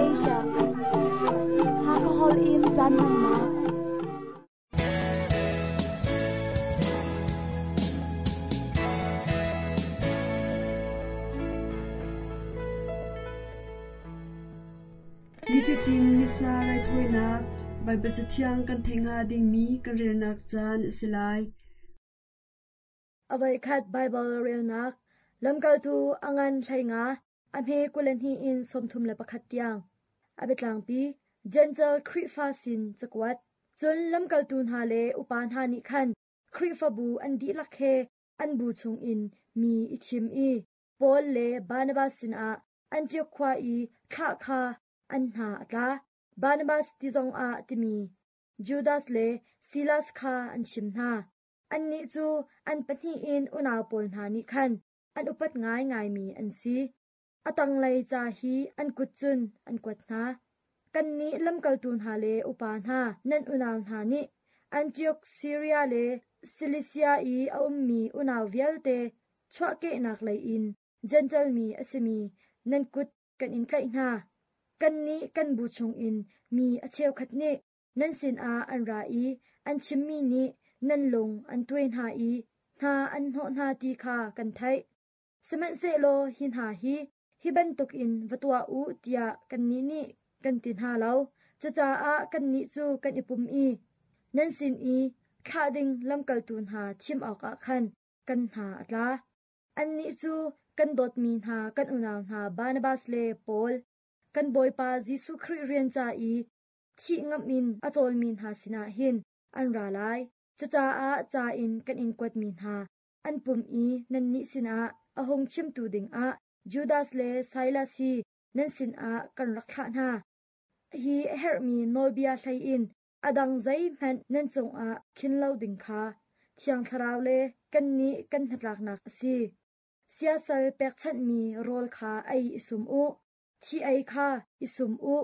Asia. Hakha holh in caan hmannak. Nifatin Missa raithawinak Baibal Cathiang kan theih hnga dingmi kan relnak caan a si lai. A voikhat Baibal relnak Lamkaltu a ngan 15, a hme 22 in 31 tiang. A biatlangpi Jentail Khrihfa sin cakuat. Cun lamkaltu hna le upa hna nih khan Khrihfabu an dihlak he an bu chungin mi i thim i Paul le Barnabas sinah Antiok khua i thlah kha an hna a tla. Barnabas ti zongah timi Judas le Silas kha an chim hna. Annih cu an pahnih in unau pawl hna nih khan an upat ngaingaimi an si. A tanglei ca hi an kut cun an kuat hna. Kannih lamkaltu hna le upa hna nan unau hna nih Antiok, Siria le Silisia i a ummi unau vialte chuahkehnak lei in Jentail mi a simi nan kut kan in tlaih hna. Kannih kan bu chungin mi a cheukhat nih nan sinah an ra i an chimmi nih nan lung an tuai hna i hna an hnawh hna ti kha kan theih. Sihmanhsehlaw hi hna hi hi bantukin va tuah u tiah kannih nih kan ti hna lo. Cucaah kannih cu kan i pum i nan sin i thlah ding lamkaltu hna thim awkah khan kan hna a tla. Annih cu kan dawtmi hna kan unau hna Barnabas le Paul, kan Bawipa Jesuh Khrih rian ca i thih ngamh in a cawlmi hna sinah hin an ra lai. Cucaah ca in kan in kuatmi hna an pum i nannih sinah a hung chimtu dingah Judas le Silas hi nan sinah kan rak thlah hna. Hi a herhmi nawlbia hlei in a dang zeihmanh nan cungah khin lo ding kha Thiang Thlarau le kannih kan hnatlaknak a si. Siasal pekchanhmi rawl kha ei i sum u, thi ei kha i sum u,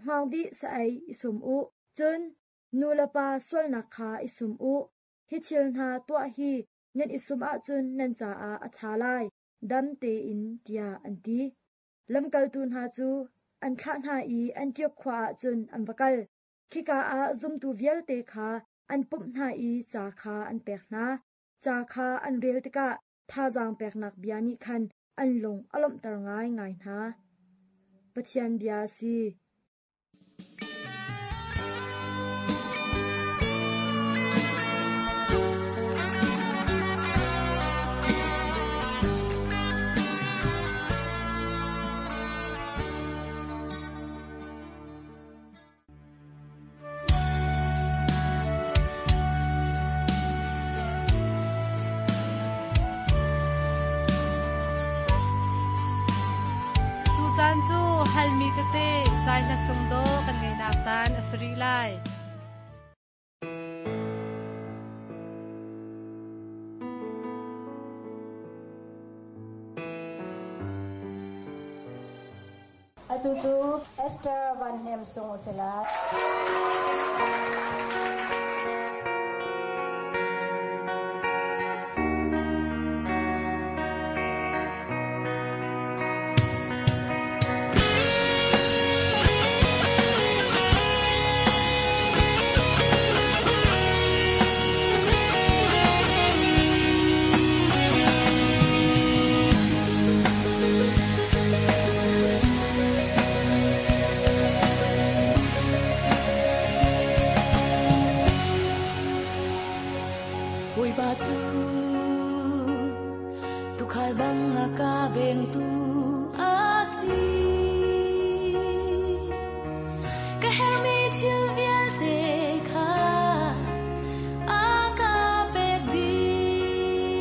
hngawng sa ei i sum u, cun nu le pa sualnak kha i sum u. Hi thil hna tuah hi nan i sum ahcun nan caah a ṭha lai, dam tein, tiah an ti. Lamkaltu hna cu an thlah hna i Antiok khua ah cun an va kal. Khika ah zumtu vialte kha an pumh hna i ca kha an pek hna. Ca kha an rel tikah thazaang peknak bia nih khan an lung a lawmhter ngaingai hna. Pathian bia a si. Tucaan cu halmi tete zai hla sung dawh kan ngeihnak caan a si rih lai. Atu cu Esther Van Hnem Sung a si lai. Bawipa cu tuukhal bang a ka vengtu a si. Ka herhmi thil vialte kha a ka pek dih.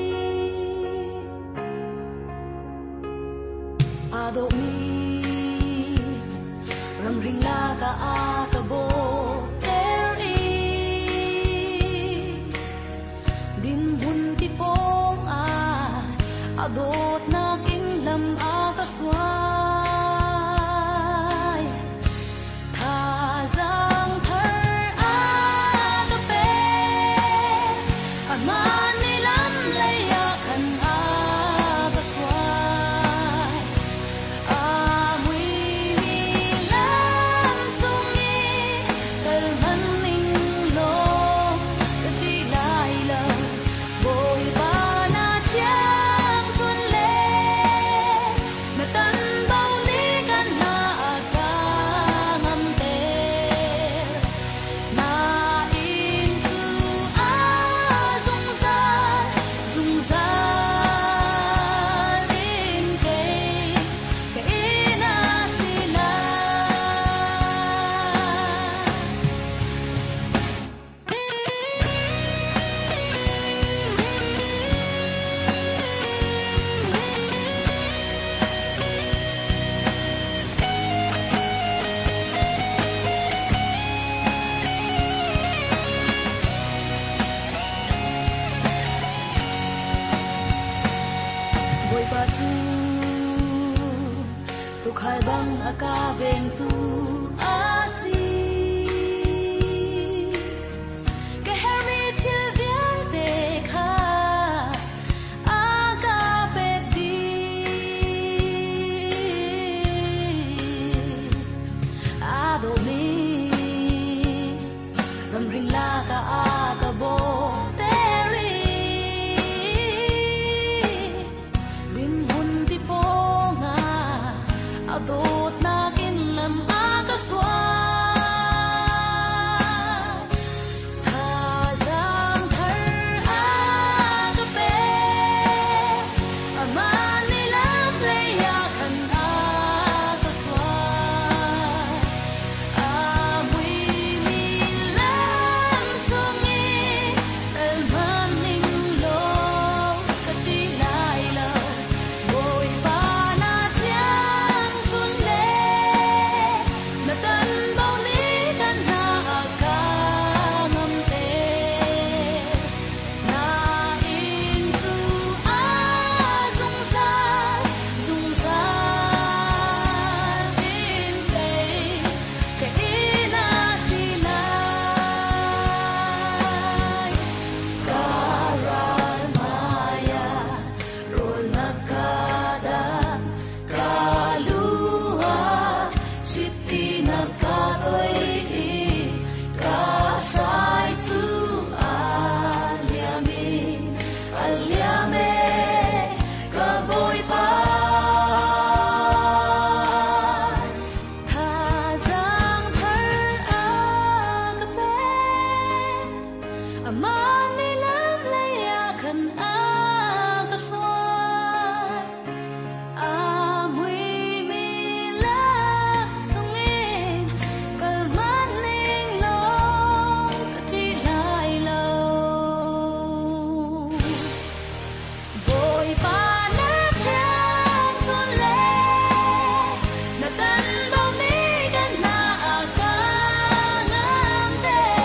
Aa dawhmi ramring lakah a ka bawhter i dinhmun ti pawng ah a dawtnak in lam a ka hruai. Thazaang thar ka vengtu a si. Ka herhmi thil vialte kha a ka pek dih. Aa dawhmi ramring lakah a ka bawhter i dinhmun ti pawngah a dawtnak in lam a ka hruai. Thazaang thar a ka pek, amah nih lam lei ah khan a ka hruai. A muimi lam chungin kal hmanh ning law ka ṭih lai lo. Bawipa na thiangṭhunh le na tanbo nih kan hna a ka ngamter. Na inn cu a zungzal, zungzal in kei ka inn a si lai. Ka ral hmaiah rawl na ka dang, ka lu ah chiti na ka toih i ka hrai cu a liam in a liam e, ka Bawipa. Thazaang thar a ka pek, amah nih lam lei ah khan a ka hruai. A muimi lam chungin kal hmanh ning law ka ṭih lai lo. Bawipa na thiangṭhunh le na tanbo nih kan hna a ka ngamter.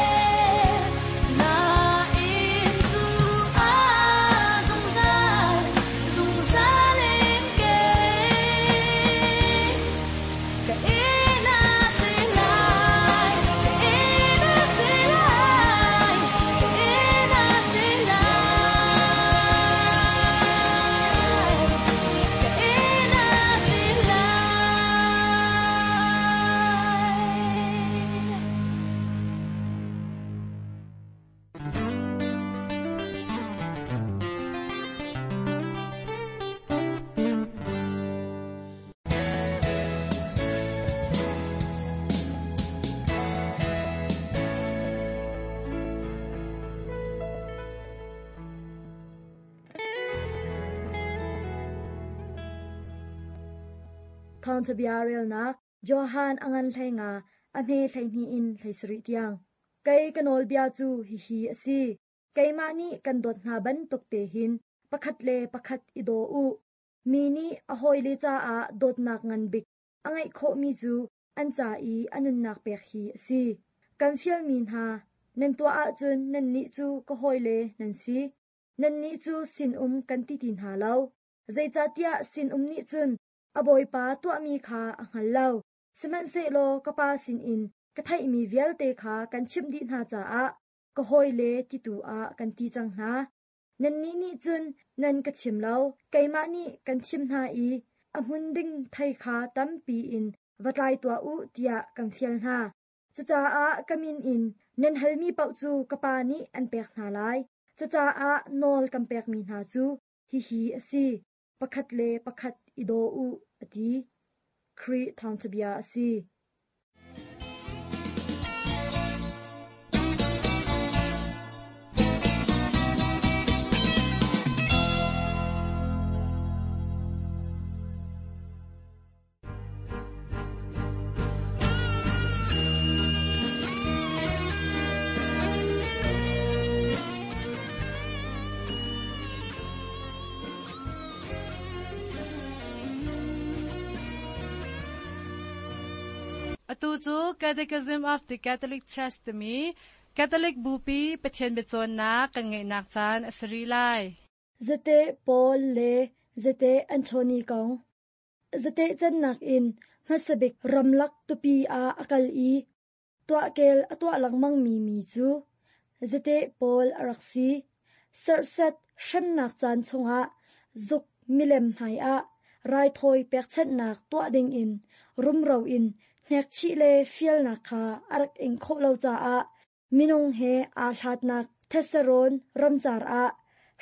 Na inn cu a zungzal, zungzal in kei. Ka inn a si lai, ka inn a si lai, ka inn a si lai, ka inn a si lai. Thawngṭhabia relnak Johan a ngan 15 a hme 12 in 17 tiang. Kei ka nawlbia cu hihi a si. Keimah nih kan dawt hna bantuk te hin pakhat le pakhat i daw u. Mi nih a hawile caah dawtnak ngan bik a ngeih khawhmi cu an ca i a nunnak pek hi a si. Kan fialmi hna, nan tuah ahcun nannih cu ka hawile nan si. Nannih cu sinum kan ti ti hna lo. Zeicahtiah sinum nih cun a bawipa tuahmi kha a hngal lo. Sihmanhsehlaw ka pa sinin ka theihmi vialte kha kan chimh dih hna caah ka hawile ti tu ah kan ti cang hna. Nannih nih cun nan ka chim lo, keimah nih kan chim hna i a hmun ding thei kha tampi in va tlai tuah u tiah kan fial hna. Cucaah ka min in nan halmi paoh cu ka Pa nih an pek hna lai. Cucaah nawl kan pekmi hna cu hihi a si, pakhat le pakhat i daw u, a ti. Khrih thawngṭhabia a si. Atu cu Catechism of the Catholic Church timi Catholic Bupi Pathian biacawnnak kan ngeihnak caan a si rih lai. Zate Paul le Zate Anthony kong. Zate cannak in Hmasabik ramlak tupi ah a kal i tuahkel a tuah lengmangmi mi cu zate pawl a rak si. Serhsat hremnak caan chungah zuk milem hmaiah raithawi pekchanhnak tuah dingin rumro in hnekchih le fialnak kha a rak ing khawh lo caah minung he aa hlatnak Thesarawn ramcar ah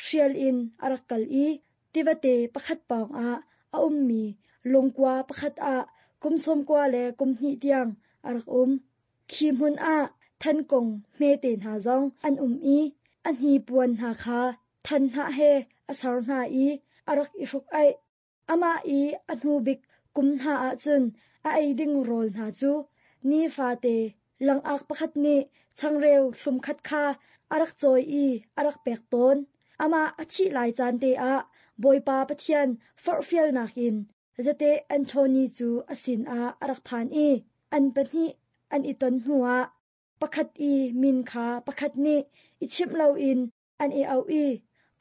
hrial in a rak kal i tivate pakhat pawngah a ummi lungkua pakhat ah kum 90 le kum hnih tiang a rak um. Khi hmun ah thankung hmete hna zong an um i a hnipuan hna kha than hnah he a ser hna i a rak i hruk aih. Amah i a hnu bik kum hna ah cun a ei ding rawl hna cu nifate langak pakhat nih changreu hlum khat kha a rak cawi i a rak pek tawn. Amah a thih lai caan te ah Bawipa Pathian forhfialnak in zate Anthony cu a sinah a rak phan i an pahnih an i ton hnuah pakhat i min kha pakhat nih i chimh loin an i auh i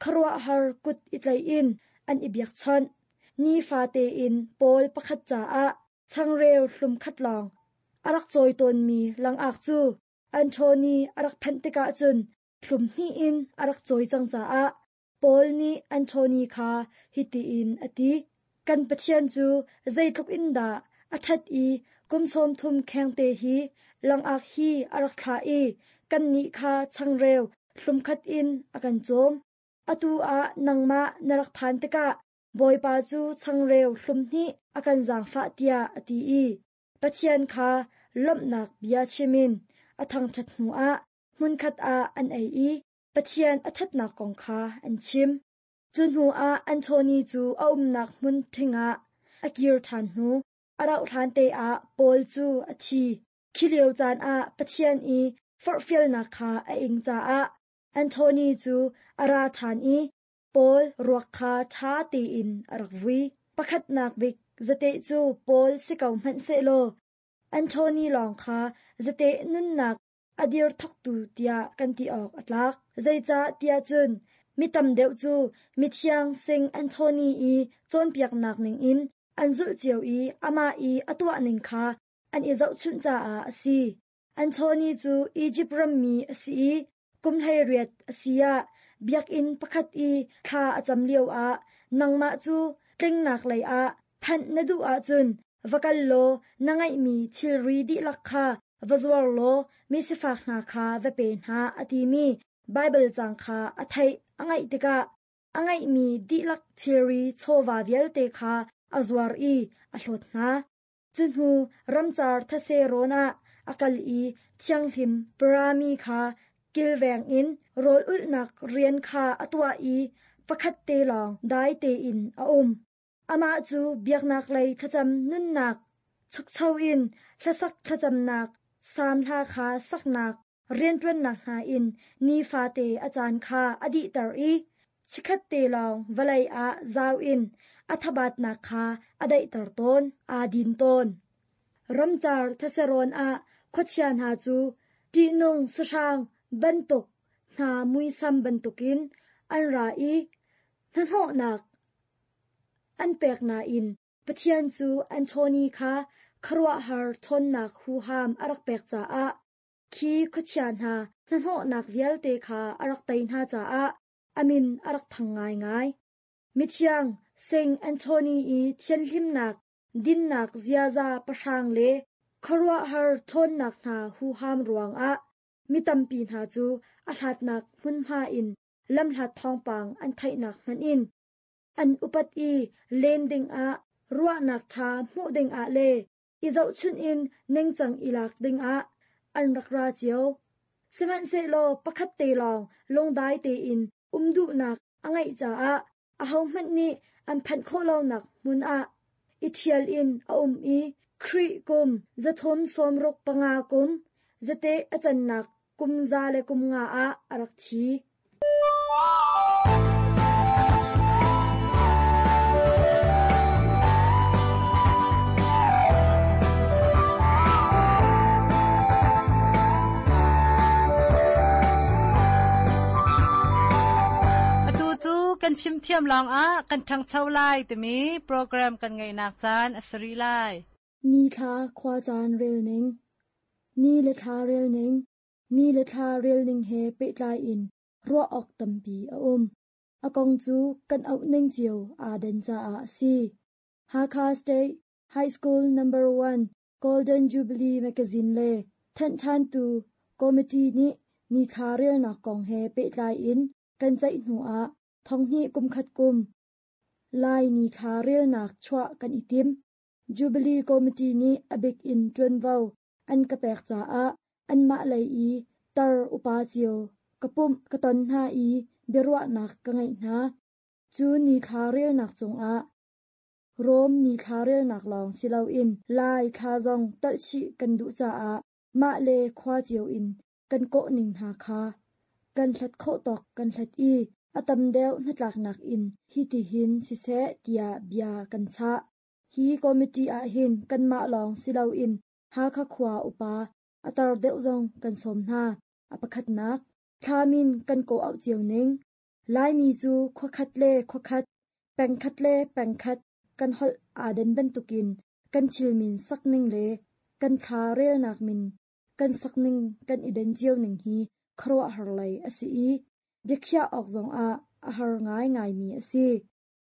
khuaruahhar kut i tlaih in an i biakchawnh. Nifate in Paul pakhat caah changreu hlum khat lawng a rak cawi tawnmi langak cu Anthony a rak phanh tikah cun hlum hnih in a rak cawi cang caah Paul nih Anthony kha hitihin a ti: Kan Pathian cu zeitluk in dah a ṭhat i kum 30 khengte hi langak hi a rak thlah i kannih kha changreu hlumkhat in a kan cawm. Atu ah nangmah na rak phan tikah Bawipa cu changreu hlum hnih a kan zaangfah tiah a ti i Pathian kha lawmhnak bia chim in a thangṭhat hnuah hmunkhat ah an ei i Pathian a ṭhatnak kong kha an chim. Cu hnuah Anthony cu a umnak hmun ṭhing ah a kir ṭhan hnu, a rauhhlan te ah Paul cu a thi. Khi lio caan ah Pathian i forhfialnak kha a ing caah Anthony cu a ra ṭhan i Paul ruak kha ṭha tein a rak vui. Pakhatnak bik zateh cu Paul si ko hmanh sehlaw Anthony lawng kha zateh nunnak a dir thawktu tiah kan ti awk a tlak. Zeicah tiah cun mi tam deuh cu mithiang Sing Anthony i cawnpiaknak ningin an zulh cio i amah i a tuah ning kha an i zohchunh caah a si. Anthony cu Izipt rammi a si i kum 18 a si ah biakinn pakhat i thla a cam lioah nangmah cu tlingnak lei ah phanh na duh ahcun va kal law na ngeihmi thilri dihlak kha va zuar law misifak hna kha va pe hna a timi Baibal caang kha a theih a ngaih tikah a ngeihmi dihlak thilri chawva vialte kha a zuar i a hlawt hna. Cu hnu ramcar thase rawn ah a kal i thianghlim parami kha kilveng in rawl ulhnak rian kha a tuah i pakhat te lawng dai tein a um. Amah cu biaknak lei thlacam nunnak chukcho in hlasak thlacamnak salm hla kha saknak rianṭuannak hna in nifate a caan kha a dihter i chikkhat te lawng vawlei ah zau in a thabatnak kha a daihter tawn, aa din tawn. Ramcar thaserawn ah khuachia hna cu ṭihnung sahrang bantuk hna muisam bantukin an ra i hnahnawhnak an pek nain Pathian cu Anthony kha khuaruahhar ṭhawnnak huham a rak pek caah khi khuachia hna hnahnawhnak vialte kha a rak tei hna caah a min a rak thang ngaingai. Mithiang Saint Anthony i thianhlimnak, dinnak ziaza pahrang le khuaruahhar ṭhawnnak hna huham ruangah mi tampi hna cu a hlatnak hmunhma in lamhlat thawngpang an theihnak hmanh in an upat i len dingah ruahnak ṭha hmuh dingah le i zohchunh in ningcang i lak dingah an rak ra cio. Sihmanhsehlaw pakhat te lawng lungdai tein um duhnak a ngeih caah ahohmanh nih an phanh khawh lonak hmun ah i ṭhial in a um i Khrih kum 365 kum zate a cannak kum 150 ah a rak thi. Atu cu kan fimthiam lawngah kan ṭhangcho lai timi program kan ngeihnak caan a si rih lai. Ni thla khuacaan rel ning. Ni le thla rel ning. Ni le thla rel ning he pehtlai in ruah awk tampi a um. A kong cu kan auh ning cio aa den caah a si. Hakha State High School Number 1 Golden Jubilee Magazine le thanhṭhantu committee nih nithla relnak kong he pehtlai in kan ceih hnu ah thonghnih kumkhat kum Lai nithla relnak chuah kan i tim. Jubilee Committee nih a bik in ṭuanvo an ka pek caah anmah lei i tar upa cio ka pumh ka ton hna i biaruahnak ka ngeih hna. Cu nithla relnak cungah Rom nithla relnak lawng si loin Lai thla zong talhchih kan duh caah mah le khua cio in kan kawhning hna kha kan hlat khawh tawk kan hlat i a tam deuh hnatlaknak in hitihin siseh tiah bia kan chah. Hi committee ahhin kanmah lawng si loin Hakha khua upa a tar deuh zong kan sawm hna. A pakhatnak, thla min kan kawh-auh cio ning. Laimi cu khuakhat le khuakhat, pengkhat le pengkhat kan holh aa den bantukin kan thil min sakning le kan thla relnak min kan sakning kan i den cio ning hi khuaruahhar lei a si i biakhiah awk zongah a har ngaingaimi a si.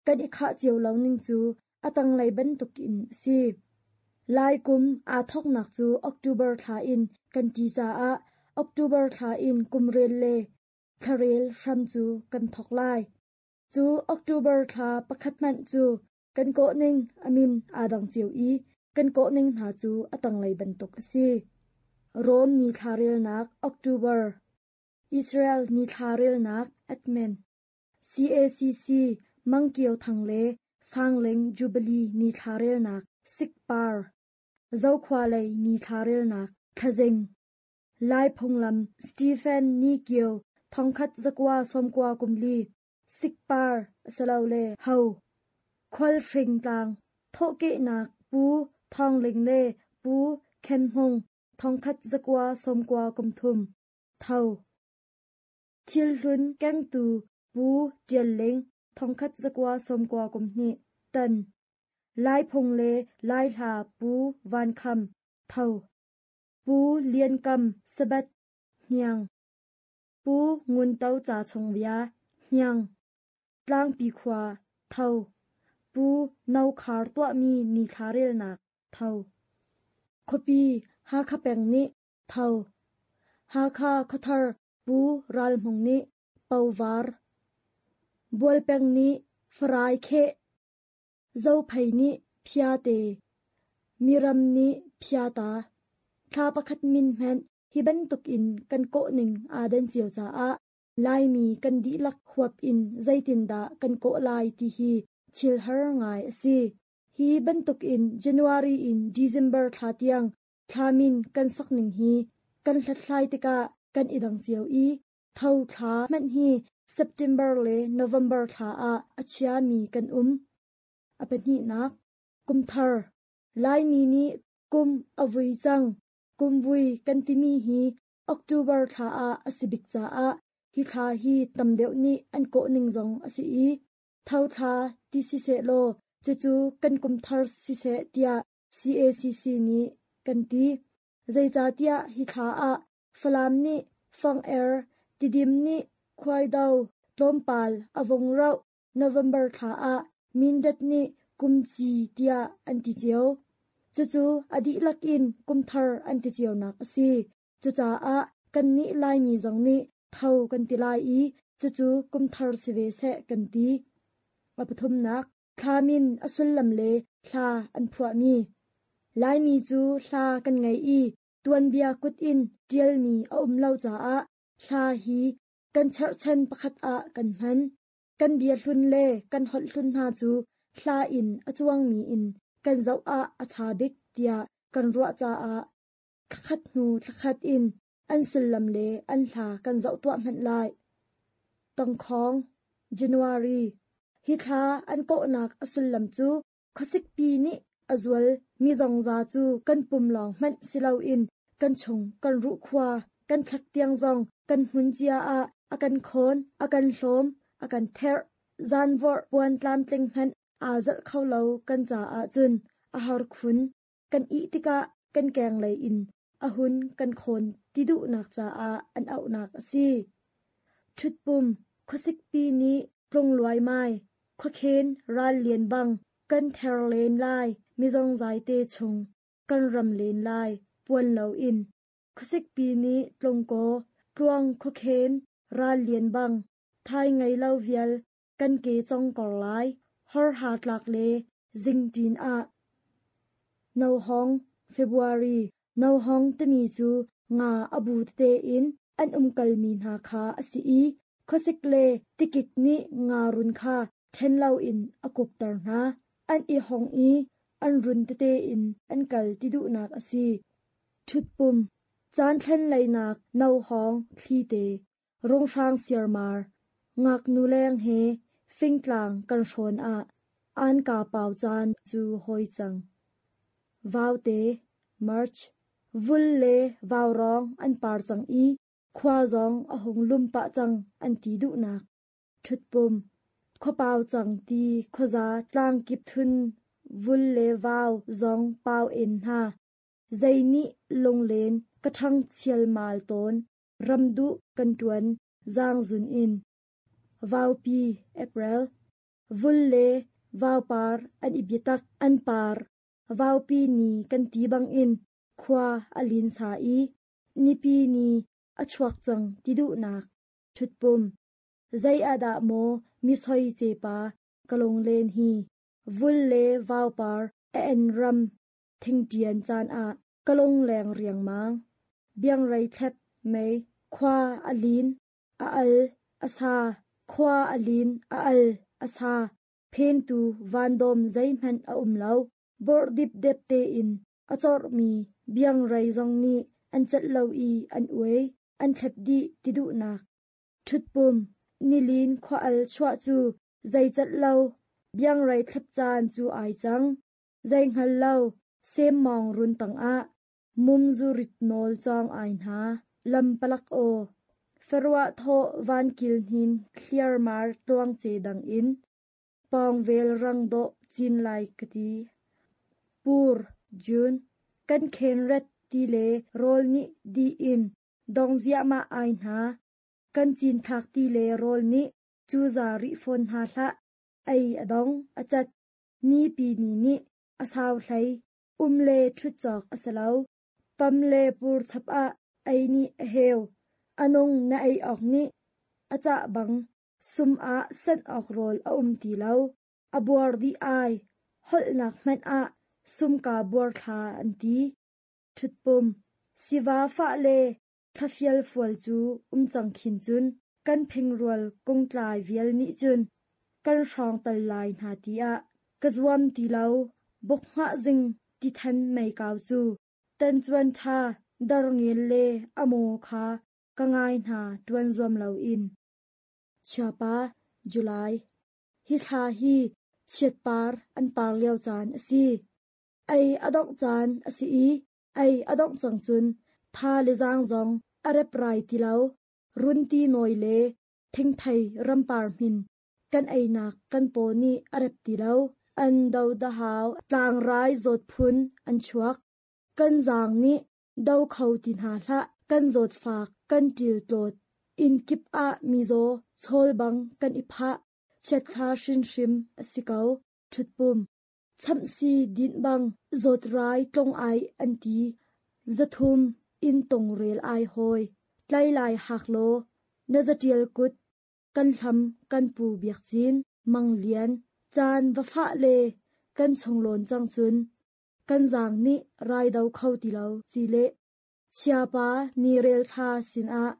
Kan i khah cio lo ning cu a tanglei bantukin a si. Lai kum aa thawknak cu October thla in kan ti caah October thla in kumrel le thlarel hram cu kan thawk lai. Cu October thla pakhat hmanh cu kan kawhning a min aa dang cio i kan kawhning hna cu a tanglei bantuk a si. Rom nithla relnak October, Israel nithla relnak Admin, CACC Mangkio Thang le Sangling Jubilee nithla relnak Sikpar, Zokhua lei nithla relnak Thlazing, Lai phunglam Stephen Ni Kio thongkhat zakua sawmkua kumli Sikpar asilole Ho Khualhring tlang thawhkehnak Pu Thawng Ling le Pu Khen Hmung thongkhat zakua sawmkua kumthum Tho Thilhlun kengtu Pu Ṭial Ling thongkhat zakua sawmkua kumhnih Tan Lai phung le Lai hla Pu Van Kham Tho Pu Lian Kam Sabbath Hniang Pu Ngun To Ca Chung Bia Hniang Tlangpi khua Tho Pu No Khar tuahmi nithla relnak Tho Khuapi Hakha peng nih Tho Hakha Khuathar Pu Ral Hmung nih Povar Bualpeng nih Farai Kheh Zophei nih Phiate Miram nih Phiata Thla pakhat min hmanh hi bantukin kan kawhning aa den cio caah Laimi kan dihlak huap in zeitindah kan kawh lai ti hi thil har ngai a si. Hi bantukin January in December thla tiang thla min kan sakning hi kan hlathlai tikah kan i dang cio i Tho thla hmanh hi September le November thla ah a chiami kan um. A pahnihnak, kumthar. Laimi nih kum a vui cang. Kumvui kan timi hi October thla ah a si bik caah hi thla hi tam deuh nih an kawhning zong a si i Tho thla ti siseh law cucu kan kumthar siseh tiah CACC nih kan ti. Zeicahtiah hi thla ah Falam nih Fang-er, Tidim nih Khuaido, tlawmpal a vung rauh November thla ah Mindat nih Kumci tiah an ti cio. Cucu a dihlak in kumthar an ti cionak a si. Cucaah kannih Laimi zong nih tho kan ti lai i cucu kumthar si ve seh kan ti. A pathumnak, thla min a sullam le hla an phuahmi. Laimi cu hla kan ngei i tuanbia kut in ṭialmi a um lo caah hla hi kan cherhchan pakhat ah kan hman. Kan bia hlun le kan holh hlun hna cu hla in a cuangmi in kan zoh ah a ṭha bik tiah kan ruah caah thlakhat hnu thlakhat in an sullam le an hla kan zoh tuah hmanh lai. Tangkhawng, January, Hi thla an kawhnak a sullam cu khuasikpi nih a zual mi zongza cu kan pum lawng hmanh si loin kan chung kan ruhkhua kan thlak tiang zong kan hmun cia ah a kan khawn, a kan hlawm, a kan therh. Zanvorh puan tlamtling hmanh aa zalh kho lo kan caah cun a har khun. Kan ih tikah kan kenglei in a hun kan khawn ti duhnak caah an auhnak a si. Ṭhutpum, khuasikpi nih tlung luaimai, khuakhen ral lian bang kan ther len lai, mizongzai te chung kan ram len lai, puan loin. Khuasikpi nih tlung kaw, tluang khuakhen ral lian bang, thai ngei lo vial kan ke cong kor lai, horha tlak le zingṭin ah. Nohawng, February, Nohawng timi cu nga a bu tete in an umkalmi hna kha a si i khuasik le tikik nih nga run kha ṭhen loin a kupter hna. An i hong i an run tete in an kal ti duhnak a si. Ṭhutpum, caan thlen leinak nohawng thlite, runghrang siarmar, ngaknu leng he fingtlang kan hrawn ah anka pau caan cu hoi cang. Vaute, March, vul le vaurawng an par cang i khua zong a hung lum pah cang an ti duhnak. Ṭhutpum, khuapau cang ti khuaza tlangkip thun vul le vau zong pau en hna. Zei nih lunglen ka ṭhang chialmal tawn, ramduh kan ṭuan zaangzun in. Vaupi, April, vul le vaupar an i biatak an par. Vaupi ni kan ti bangin khua a linsa i nipi ni a chuak cang ti duhnak. Ṭhutpum, zei ah dah maw mi soi cepa ka lunglen hi, vul le vaupar a en ram thingṭian caan ah ka lungleng riangmang. Biangrei thlep mei, khua a lin, a al, a sa, khua a lin, a al, a sa, phentu vandawm zeihmanh a um lo. Bawrh dipdep tein a corhmi biangrei zong nih an celh lo i an uai, an thlep dih ti duhnak. Ṭhutpum, nilin khua al chuah cu zei celh lo, biangrei thlep caan cu ai cang. Zei hngal lo, semmawng run tangah mum zurit nawl cawng ai hna, lam palak aw. Faruah thawh van kil hnin thliarmar tluangce dang in, pawngvel rang dawh cin lai ka ti. Pur, June, kan khenret ti le rawl nih dih in dong ziahmah ai hna. Kan cinthlak ti le rawl nih cuza rih fawn hna hlah. Ei a dong, a cat. Nipi ni nih a sau hlei. Um le ṭhut cawk a si lo. Pam le pur chap ah ei nih a heu. A nung na ei awk nih a cah bang sum ah sanh awk rawl a um ti lo. A buar dih ai. Holhnak hmanh ah sumka buar thla an ti. Ṭhutpum, siva fah le thlafial fual cu um cang khin cun kan phingrual kungtlai vial nih cun kan hrawng tal lai hna tiah ka zuam ti lo. Buk hngah zing tithan meikau cu tancuan ṭha darngel le a maw kha ka ngai hna ṭuan zuam loin. Chiapa, July. Hi thla hi chiatpar an par lio caan a si. Ei a dongh caan a si i ei a dongh cang cun tha le zaang zong a reprai ti lo. Runti nawi le thingthei rampar hmin kan einak kan paw nih a rep ti lo. An do dahau tlangrai zawt phun an chuak. Kan zaang nih do kho ti hna hlah. Kan zawtfak, kan ṭil tlawt. Inn kip ah mizaw chawl bang kan i phah. Chiatthla hrinhrim a si ko. Ṭhutpum. Chamhsi dinh bang zawtrai tlong ai an ti. 300 inn tongrel ai hawi. Tlai lai hak law na zaṭial kut kan hlam kan pu Biak Cin, Mang Lian, caan va fah le kan chunglawn cang cun kan zaang nih rai do kho ti lo ci le chiapa ni rel thla sinah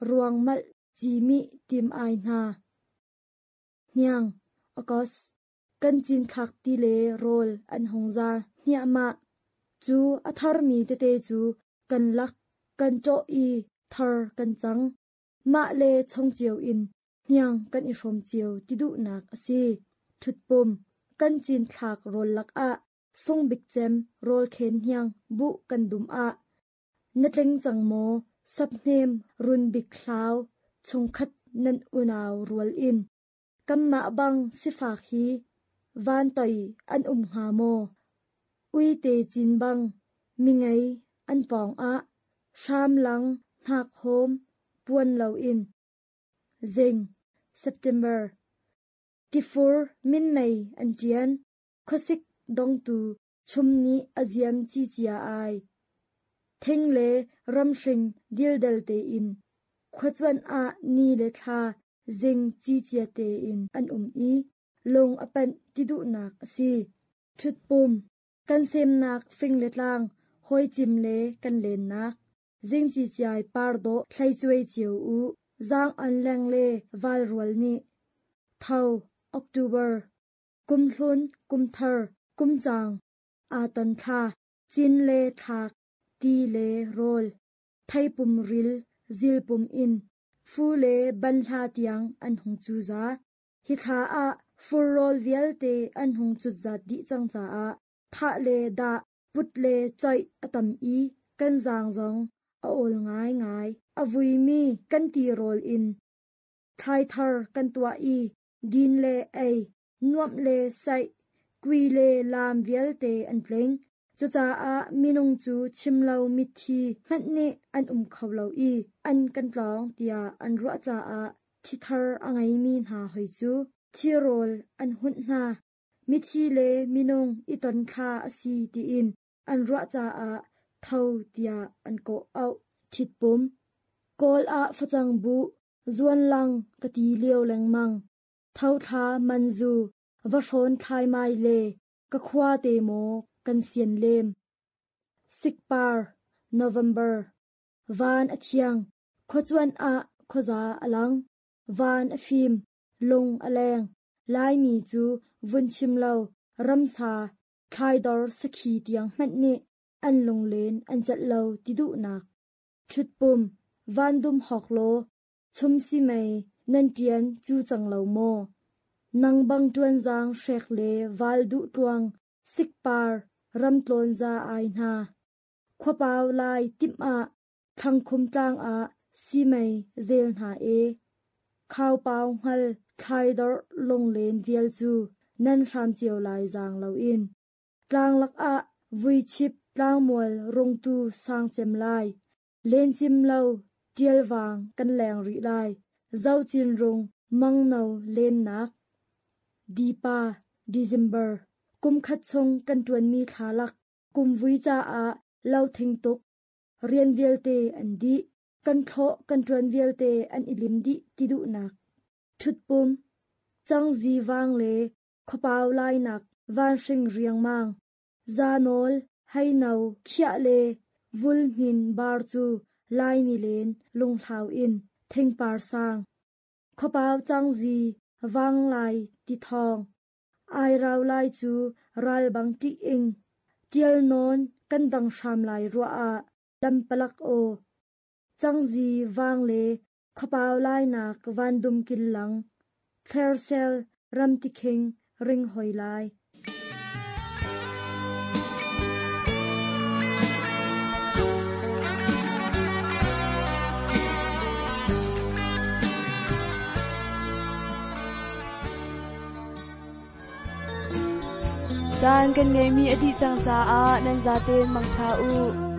ruang malh ci mih tim ai hna. Hniang, August, kan cinthlak ti le rawl an hung za hniahmah. Cu a tharmi tete cu kan lak, kan ṭawh i thar kan cang. Mah le chong cio in hniang kan i hrawm cio ti duhnak a si. Ṭhutpum, kan cinthlak rawl lakah sungbik cem rawlkhen hniang buh kan dum ah na tling cang maw saphnem run bik hlau chungkhat nan unau rual in kanmah bang sifak hi van toi an um hnga maw? Uite cin bang, mingei an pawng ah, hram lang hnak hawm puan loin. Zing, September. Tifur minmei an ṭian, khuasik dongtu chum nih a ziam cicia ai. Thing le ramhring dildel tein, khuacuanh ah ni le thla zing cicia tein an um i lung a panh ti duhnak a si. Ṭhutpum, kan semnak fing le tlang, hawicim le kan lennak. Zing ciciai par dawh hlei cuai cio u, zaang an leng le val rual nih. Tho, October. Kum hlun, kum thar, kum caang, aa ton thla, cin le thlak, ti le rawl, theipum ril, zilpum in, fu le banhla tiang an hung cuza. Hi thla ah fur rawl vialte an hung cutzat dih cang caah thah le dah, put le coih a tam i kan zaang zong a awl ngaingai. A vuimi kan tirawl in thlaithar kan tuah i din le ei, nuamh le saih, kui le laam vialte an tling. Cucaah minung cu chim lo mithi hmanh nih an um kho lo i an kan tlawng tiah an ruah caah thithar a ngeimi hna hoi cu thirawl an hunh hna. Mithi le minung i ton thla a si tiin an ruah caah tho tiah an kawh auh. Ṭhitpum. Kawl ah facang buh, zuanlang ka ti lio lengmang. Tho thla manzu, va hrawn thlaimai le ka khua te maw kan sian lem. Sikpar, November. Van a thiang, khuacuanh ah khuaza a lang. Van a fim, lung a leng. Laimi cu vun chim lo, ramsa, thlaidor sakhi tiang hmanh nih an lunglen an celh lo ti duhnak. Ṭhutpum, vandum hawk law, chum si mei nan ṭian cu cang lo maw? Nang bang ṭuanzaang hrek le val duh tluang, sikpar, ramtlawn za ai hna. Khuapau lai timh ah, thlangkhum tlang ah simei zel hna e. Khaupau hngal thlaidor lunglen vial cu nan hram cio lai zaang loin. Tlang lakah vuichip tlangmual rungtu sang cem lai. Lencim lo ṭialvang kan leng rih lai. Zocin rung mangno lennak. Dipa, December. Kum khat chung kan ṭuanmi thla lak kumvui caah lo thing tuk. Rian vialte an dih. Kan thlawh kan ṭuan vialte an i lim dih ti duhnak. Ṭhutpum, cangzi vang le khuapau lainak vanhring riangmang. Zanawl, heino, khiah le vulhmin bar cu lai nilen lunghlau in thingpar sang. Khuapau cangzi vanglai ti thawng. Ai rau lai cu ral bang ṭih ing. Ṭial nawn kan dang hram lai ruah ah lampalak aw. Cangzi vang le khuapau lainak vandum kil lang. Thlersel ramtikhing ring hoi lai. Caan kan ngeihmi a dih cang caah nan zaten mangṭha u.